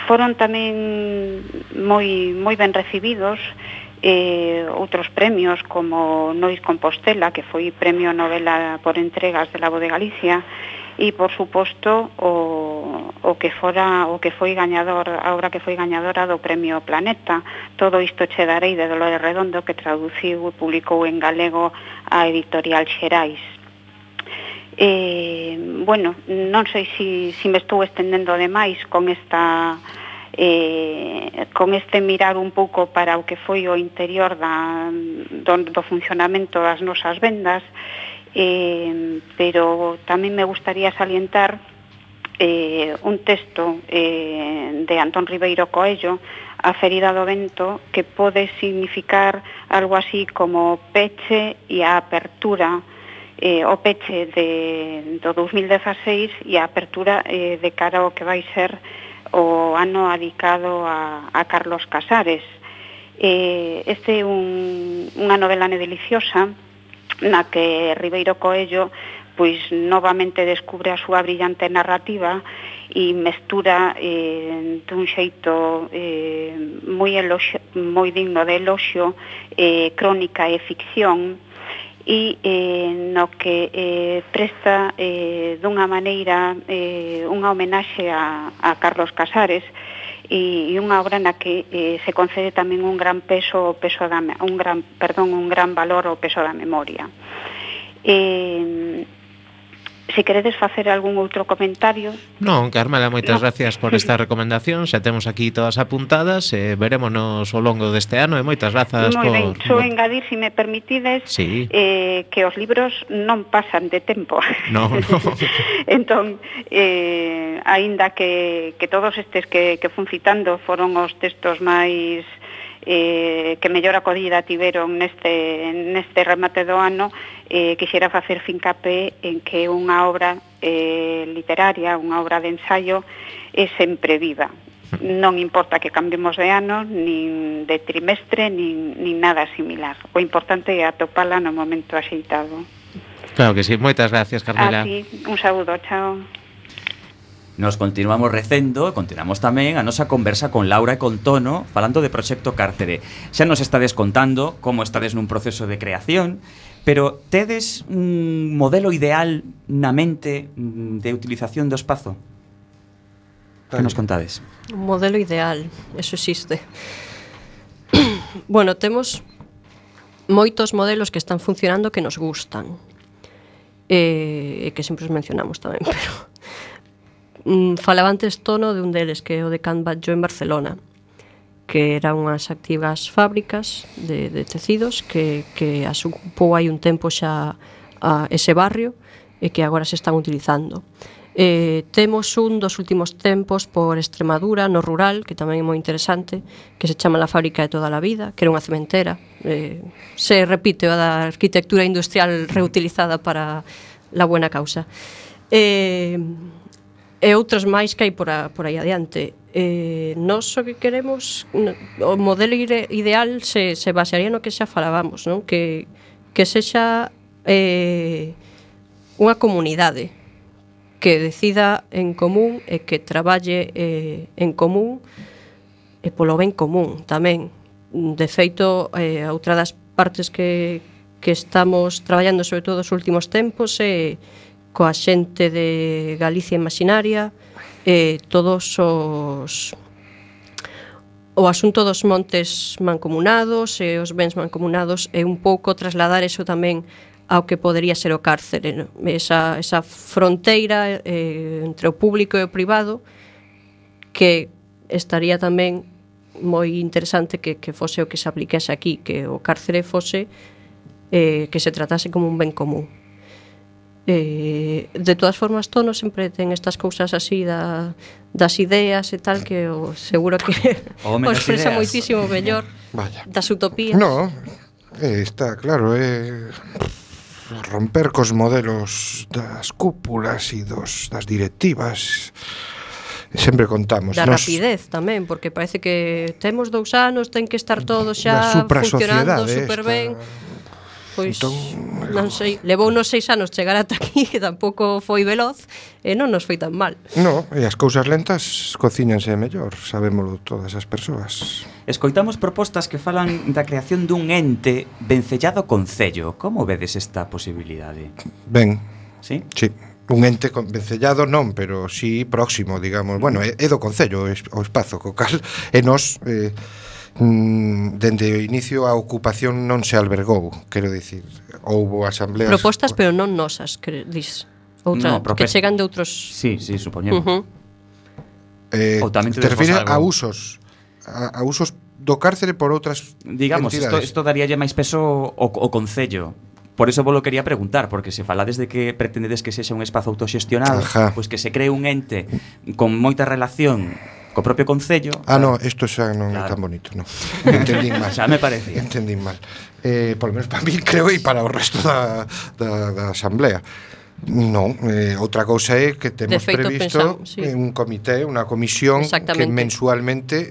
Foron tamén moi ben recibidos outros premios como Nois Compostela, que foi premio novela por entregas de la Voz de Galicia, e por suposto o que foi gañador, a obra que foi gañadora do Premio Planeta, Todo isto che darei, de Dolores Redondo, que traduciu e publicou en galego a editorial Xerais. Bueno, non sei se me estou estendendo demais con este mirar un pouco para o que foi o interior do funcionamento das nosas vendas, pero tamén me gustaría salientar un texto de Antón Ribeiro Coello, A ferida do vento, que pode significar algo así como peche e a apertura, o peche do 2016 e a apertura de cara ao que vai ser o ano adicado a Carlos Casares. Este é unha novela deliciosa na que Ribeiro Coello pois novamente descubre a súa brillante narrativa e mestura dun xeito moi digno de eloxio crónica e ficción, e no que presta dunha maneira unha homenaxe a Carlos Casares, e unha obra na que se concede tamén un gran valor ao peso da memoria. Se queredes facer algún outro comentario. Non, Carmela, moitas gracias por esta recomendación. Xa temos aquí todas apuntadas, verémonos ao longo deste ano e moitas grazas por... Moi ben, só engadir, se me permitides, sí, que os libros non pasan de tempo. No. Entón, aínda que todos estes que fun citando foron os textos máis que mellor acollida tiveron neste remate do ano, quixera facer fincapé en que unha obra literaria, unha obra de ensaio, é sempre viva. non importa que cambiemos de ano, nin de trimestre, nin nada similar. O importante é atopala no momento axeitado. Claro que sí, moitas gracias, Carmela. Así, un saúdo, chao. Nos continuamos recendo, continuamos tamén a nosa conversa con Laura e con Tono falando de Proxecto Cárcere. Xa nos estades contando como estades nun proceso de creación, pero tedes un modelo ideal na mente de utilización do espazo? Que nos contades? Un modelo ideal, eso existe. Bueno, temos moitos modelos que están funcionando que nos gustan. E que sempre os mencionamos tamén, pero falaba antes Tono de un deles que é o de Can Batlló en Barcelona, que eran unhas activas fábricas de tecidos que as ocupou hai un tempo xa a ese barrio e que agora se están utilizando. Temos un dos últimos tempos por Extremadura, no rural, que tamén é moi interesante, que se chama La Fábrica de toda la vida, que era unha cementera. Se repite a da arquitectura industrial reutilizada para la buena causa. E outros máis que hai por aí adiante. Nós o que queremos, o modelo ideal se basearía no que xa falábamos, non? Que sexa unha comunidade que decida en común e que traballe en común e polo ben común tamén. De feito, outra das partes que estamos traballando sobre todo os últimos tempos é coa xente de Galicia Imaxinaria, todos o asunto dos montes mancomunados e os bens mancomunados é un pouco trasladar eso tamén ao que podería ser o cárcere, ¿no? Esa fronteira entre o público e o privado, que estaría tamén moi interesante que fose o que se aplicase aquí, que o cárcere fose que se tratase como un ben común. De todas formas, Tono sempre ten estas cousas así das ideas e tal, que seguro que o expresa moitísimo mellor. Vaya. Das utopías. No, está claro, romper cos modelos das cúpulas e das directivas. Sempre contamos. Da rapidez tamén, porque parece que temos 2 anos, ten que estar todo xa funcionando super ben. Pois, entón, non sei, levou unos 6 anos chegar ata aquí, que tampouco foi veloz, e non nos foi tan mal. No, e as cousas lentas cocíñanse mellor, sabémolo todas as persoas. Escoitamos propostas que falan da creación dun ente vencellado concello. Como vedes esta posibilidade? Ben. Sí? Sí. Un ente vencellado non, pero sí próximo, digamos. Bueno, é do concello o espazo, co cal e nos dende o inicio a ocupación non se albergou, quero dicir, houbo asambleas. Propostas, pero non nosas, que dis. Outra, no, que chegan de outros. Sí, supoñemos. Ou tamén te refires a usos do cárcere por outras, digamos, entidades. Isto daríalle máis peso ao concello. Por eso vos lo quería preguntar, porque se falades de que pretendedes que sexa un espazo autoxestionado, pois que se cree un ente con moita relación co propio concello. No, isto xa non é tan bonito, non. Entendín mal. Xa me parecía. Entendín mal. Por lo menos para mí, creo, e para o resto da asamblea. Non, outra cousa é que temos previsto un comité, unha comisión que mensualmente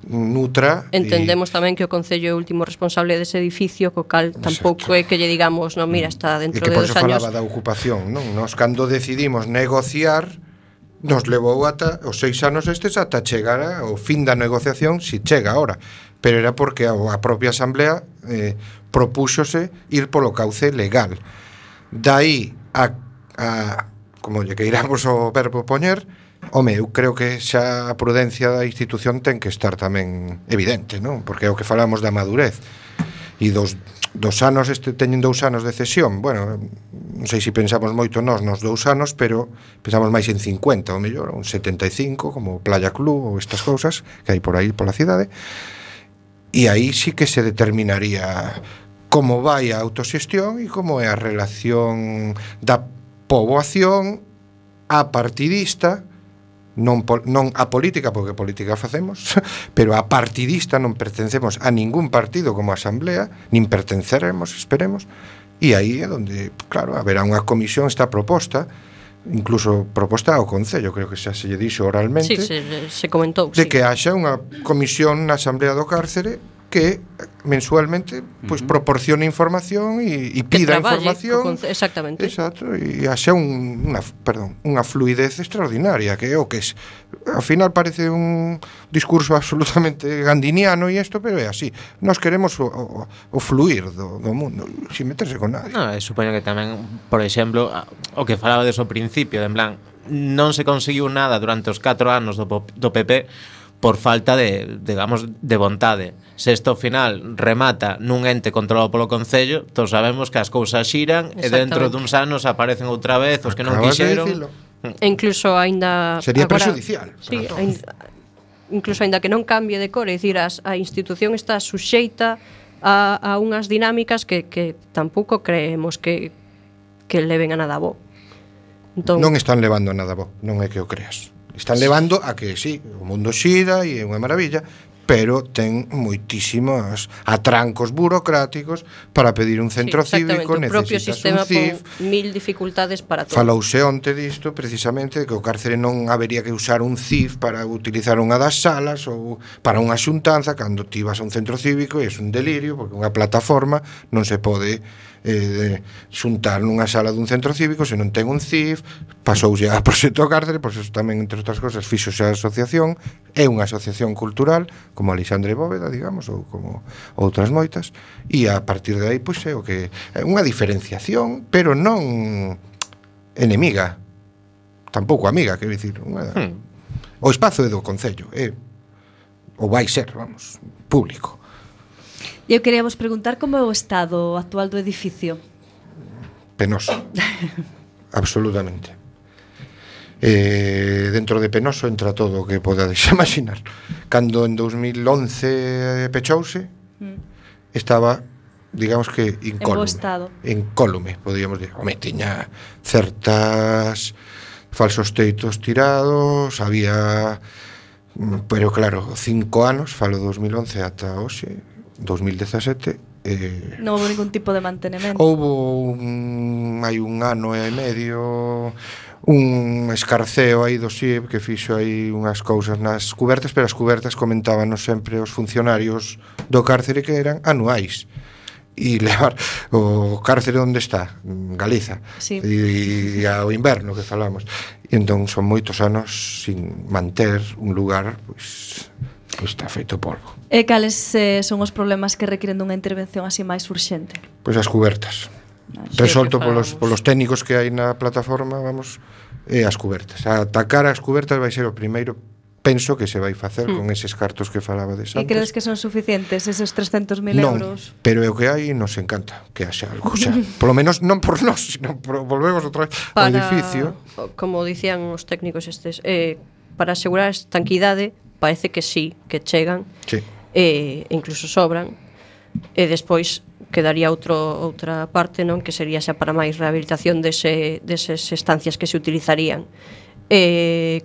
nutra. Entendemos tamén que o Concello é o último responsable dese edificio, co cal tampouco é que lle digamos, non, mira, está dentro de 2 años. E que por eso falaba da ocupación, non? Nos cando decidimos negociar, nos levou ata os 6 anos ata chegar ao fin da negociación, si chega ahora, pero era porque a propia asamblea propúxose ir polo cauce legal. Daí a como lle queiramos o verbo poñer, home, eu creo que xa a prudencia da institución ten que estar tamén evidente, non? Porque é o que falamos da madurez. E dos anos, teñen 2 anos de cesión, bueno, non sei se pensamos moito nos 2 anos, pero pensamos máis en 50, ou mellor, un 75, como Playa Club ou estas cousas que hai por aí pola cidade, e aí sí que se determinaría como vai a autoxestión e como é a relación da poboación a partidista, non a política, porque política facemos, pero a partidista, non pertencemos a ningún partido como asamblea, nin pertenceremos, esperemos, e aí é onde, claro, haberá unha comisión esta proposta incluso proposta ao Concello, creo que xa se lle dixo oralmente, se comentou, de que haxa unha comisión na Asamblea do Cárcere que mensualmente pois proporcione información e pida información. Exactamente. Exacto, e haxa unha fluidez extraordinaria, que é o que ao final parece un discurso absolutamente gandiniano e isto, pero é así. Nós queremos o fluir do mundo, sin meterse con nadie. Supoño que tamén, por exemplo, o que falabades ao principio, en plan, non se conseguiu nada durante os 4 anos do PP por falta de, digamos, de vontade. Se isto ao final remata nun ente controlado polo Concello, todos sabemos que as cousas xiran e dentro duns anos aparecen outra vez os que non quixeron. E incluso aínda sería prejudicial. Sí, incluso aínda que non cambie de cor, é dicir, a institución está suxeita a unhas dinámicas que tampouco creemos que leven a nada bo. Entón, non están levando a nada bo, non é que o creas. Están levando a que, sí, o mundo xira e é unha maravilla, pero ten moitísimos atrancos burocráticos para pedir un centro cívico, necesitas un CIF. Mil dificultades para todo. Falouse onte disto, precisamente, que o cárcere non habería que usar un CIF para utilizar unha das salas ou para unha xuntanza, cando ti vas a un centro cívico e é un delirio, porque unha plataforma non se pode xuntar nunha sala dun centro cívico se non ten un CIF. Pasouse a proxecto Cárcere, pois eso tamén, entre outras cosas, fixose a asociación, é unha asociación cultural como Alexandre Bóveda, digamos, ou como outras moitas, e a partir de aí, pois é o que é unha diferenciación, pero non enemiga, tampouco amiga, quero dicir, o espazo é do Concello, ou vai ser, vamos, público. Eu quería vos preguntar como é o estado actual do edificio. Penoso. Absolutamente. Dentro de penoso entra todo o que podades imaginar. Cando en 2011 pechouse, estaba, digamos que incólume. Incólume, podríamos dizer. Home, tiña certas falsos teitos tirados, había, pero claro, 5 anos, falo 2011 ata hoxe, 2017, non houve ningún tipo de mantenemento. Houve hai un ano e medio un escarceo aí do SIB que fixo aí unhas cousas nas cubertas, pero as cubertas comentábanos sempre os funcionarios do cárcere que eran anuais. E levar o cárcere onde está, Galiza, sí. E ao inverno que falamos. E entón son moitos anos sin manter un lugar, pois está feito polvo. E cales son os problemas que requiren dunha intervención así máis urxente? Pois as cubertas. Resolto polos técnicos que hai na plataforma, vamos, e as cubertas. A atacar as cubertas vai ser o primeiro, penso, que se vai facer con eses cartos que falabades antes. E credes que son suficientes eses 300.000 euros? Non, pero é o que hai e nos encanta que haxa algo xa. Polo menos non por nós, sino por volvemos outra vez ao edificio. Como dicían os técnicos estes, para asegurar a estanquidade, parece que sí, que chegan, sí. Incluso sobran, e despois quedaría outra parte, non, que sería xa para máis rehabilitación deses estancias que se utilizarían.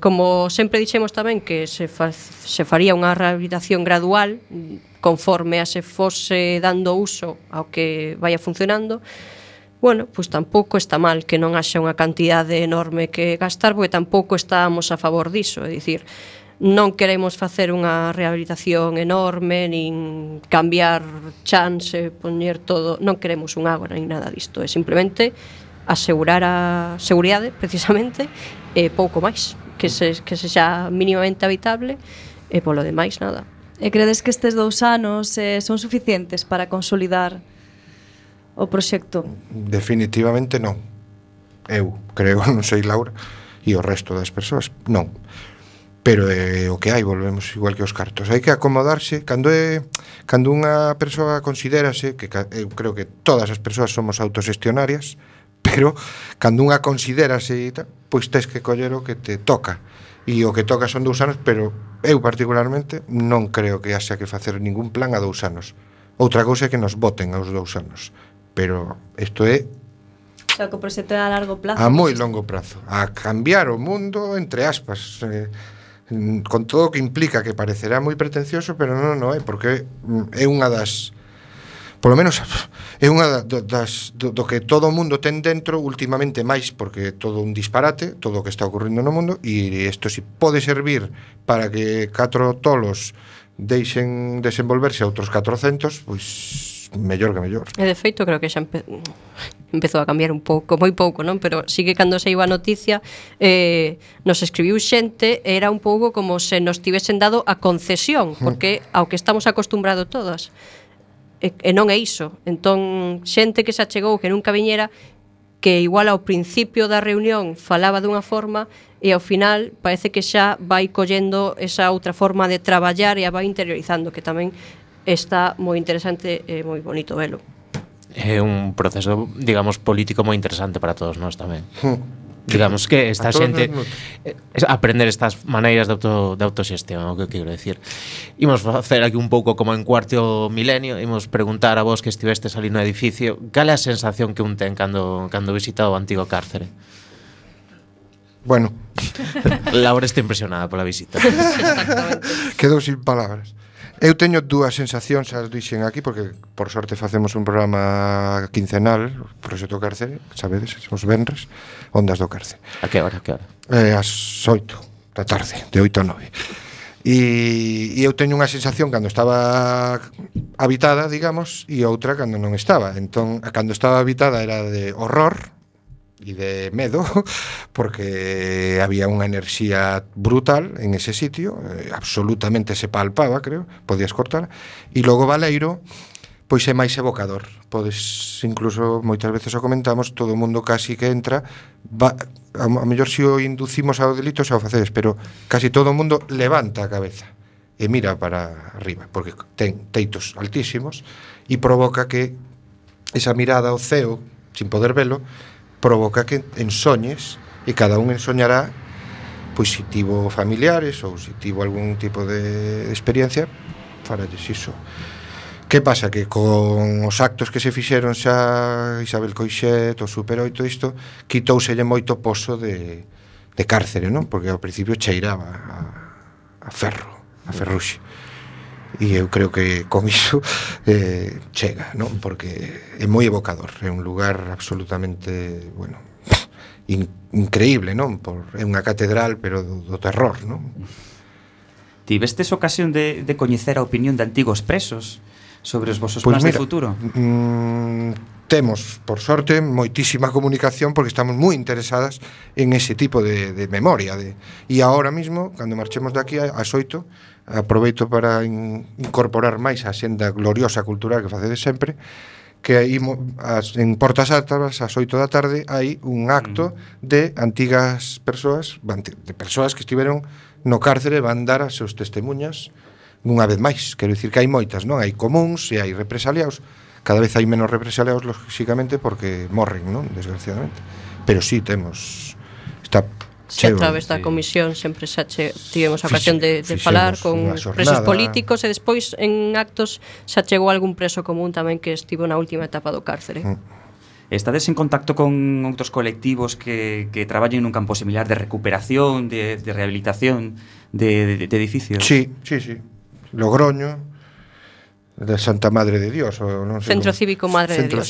Como sempre dixemos tamén que se faría unha rehabilitación gradual conforme a se fose dando uso ao que vaya funcionando. Bueno, pois tampouco está mal que non haxa unha cantidade enorme que gastar, porque tampouco estábamos a favor diso, é dicir, non queremos facer unha rehabilitación enorme, nin cambiar chance, poñer todo, non queremos un ágora nin nada disto, é simplemente asegurar a seguridade, precisamente, e pouco máis, que se xa mínimamente habitable, e polo demais nada. E credes que estes 2 anos son suficientes para consolidar o proxecto? Definitivamente non. Eu creo, non sei Laura, e o resto das persoas, non. Pero o que hai, volvemos igual que os cartos. Hai que acomodarse, cando unha persoa considérase, que eu creo que todas as persoas somos autoxestionarias, pero cando unha considérase, pois tes que coller o que te toca. E o que toca son 2 anos, pero eu particularmente non creo que haxa que facer ningún plan a 2 anos. Outra cousa é que nos voten aos 2 anos. Pero isto é o sea, que o proxecto é a largo plazo. A moi longo prazo. A cambiar o mundo, entre aspas, con todo o que implica, que parecerá moi pretencioso, pero non é, porque é unha das polo menos é unha do que todo o mundo ten dentro últimamente, máis porque todo un disparate, todo o que está ocurrindo no mundo, e isto si pode servir para que 4 tolos deixen desenvolverse a outros 400, pois mellor que mellor. E de feito creo que xa empezou a cambiar un pouco, moi pouco, non? Pero sí que cando se iba a noticia nos escribiu xente, era un pouco como se nos tivesen dado a concesión, porque ao que estamos acostumbrados todas e non é iso. Entón, xente que se achegou que nunca viñera, que igual ao principio da reunión falaba dunha forma e ao final parece que xa vai collendo esa outra forma de traballar e a vai interiorizando, que tamén está moi interesante e moi bonito velo. É un proceso, digamos, político moi interesante para todos nós tamén. Digamos que esta xente aprender estas maneiras de autoxestión, o que quero decir. Imos facer aquí un pouco como en Cuarto Milenio, imos preguntar a vos que estivestes ali no edificio, cal é a sensación que un ten cando visita o antigo cárcere? Bueno, Laura está impresionada pola visita. quedou sin palabras. Eu teño dúas sensacións, as dixen aquí, porque por sorte facemos un programa quincenal, Proxecto Cárcere, sabedes, os venres, Ondas do Cárcere. A que hora? As 8 da tarde, de 8 a 9. E eu teño unha sensación cando estaba habitada, digamos, e outra cando non estaba. Entón, cando estaba habitada era de horror e de medo, porque había unha enerxía brutal en ese sitio, absolutamente se palpaba, creo, podías cortar, e logo Baleiro, pois é máis evocador. Podes, incluso, moitas veces o comentamos, todo o mundo casi que entra, a mellor se o inducimos ao delito xa o facedes, pero casi todo o mundo levanta a cabeza e mira para arriba, porque ten teitos altísimos e provoca que esa mirada ao ceo, sin poder velo, provoca que ensoñes, e cada un ensoñará pois se tivo familiares ou se tivo algún tipo de experiencia faralles iso. Que pasa? Que con os actos que se fixeron xa Isabel Coixet, o Super 8, isto quitouselle moito poso de cárcere, non? Porque ao principio cheiraba a ferro, a ferruxe. E eu creo que con iso chega, non? Porque é moi evocador, é un lugar absolutamente, bueno, increíble, non? É unha catedral, pero do terror, non? Tivestes ocasión de coñecer a opinión de antigos presos sobre os vosos plans de futuro? Temos, por sorte, moitísima comunicación porque estamos moi interesadas en ese tipo de memoria. E agora mismo, cando marchemos de aquí ás 8, aproveito para incorporar máis a xenda gloriosa cultural que facedes sempre, que aí en Portas Altas ás 8 da tarde hai un acto de antigas persoas, de persoas que estiveron no cárcere, van dar as seus testemunhas unha vez máis. Quero dicir que hai moitas, non? Hai comuns e hai represaliados. Cada vez hai menos represaliados, lógicamente, porque morren, non? Desgraciadamente. Pero sí, temos... Está Se a través da comisión sempre xa tivemos a ocasión de falar con presos políticos e despois en actos xa chegou algún preso común tamén que estivo na última etapa do cárcere. Estades en contacto con outros colectivos que traballen nun campo similar de recuperación, de rehabilitación de edificios? Sí. Logroño, de Santa Madre de Dios, ou non sei. Centro Cívico Madre de Dios.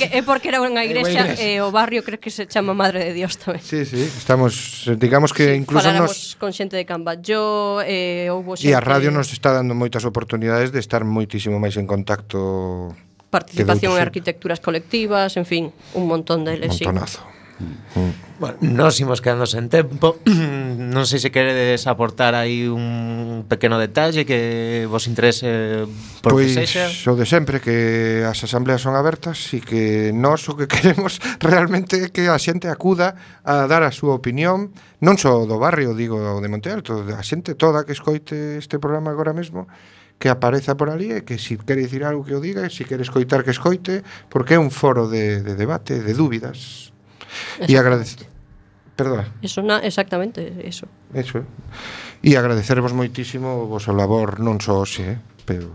É porque era unha igrexa e o barrio creo que se chama Madre de Dios tamén. Sí, estamos, digamos que incluso faláramos con xente de Camballó, houbo xente... E a radio nos está dando moitas oportunidades de estar moitísimo máis en contacto. Participación en arquitecturas colectivas, en fin, un montón deles. Un montonazo. Bueno, nos imos quedando sen tempo. Non sei se queredes aportar aí un pequeno detalle que vos interese por pois, que sexa. O de sempre, que as asambleas son abertas e que nós o que queremos realmente é que a xente acuda a dar a súa opinión, non só do barrio, digo, de Monte Alto, a xente toda que escoite este programa agora mesmo, que apareza por ali e que se quere dicir algo que o diga, e se quere escoitar que escoite, porque é un foro de debate, de dúbidas. E agradecer. Perdona. Exactamente, eso. Eso. E agradecervos moitísimo o vosso labor, non só hoxe, pero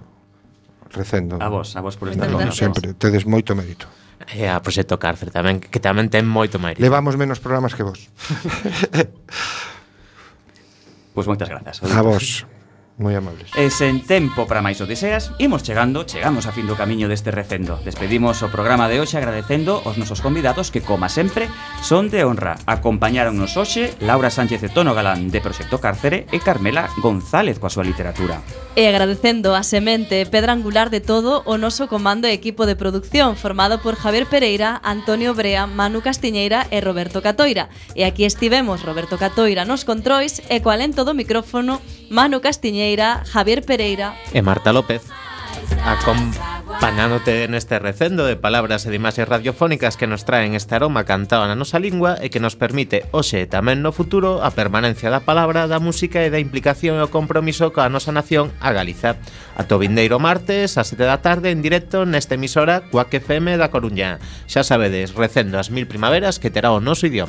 recendo. A vos por estar con nós. Sempre, tedes moito mérito. E a Proxecto Cárcere tamén, que tamén ten moito mérito. Levamos menos programas que vos. Pois moitas grazas. A vos. moi amables. E sen tempo para máis odiseas, chegamos a fin do camiño deste recendo. Despedimos o programa de hoxe agradecendo aos nosos convidados que, como sempre, son de honra. Acompañáronnos hoxe Laura Sánchez e Tono Galán de Proxecto Cárcere e Carmela González coa súa literatura. E agradecendo a semente pedra angular de todo o noso comando e equipo de producción formado por Javier Pereira, Antonio Brea, Manu Castiñeira e Roberto Catoira. E aquí estivemos Roberto Catoira nos controis e coa lento do micrófono Manu Castiñeira, Javier Pereira e Marta López, acompañándote neste recendo de palabras e de imaxes radiofónicas que nos traen este aroma cantado na nosa lingua e que nos permite, hoxe e tamén no futuro, a permanencia da palabra, da música e da implicación e o compromiso coa nosa nación, a Galiza. Ata o vindeiro martes, a 7 da tarde, en directo nesta emisora Cuac FM da Coruña. Xa sabedes, recendo as 1000 primaveras que terá o noso idioma.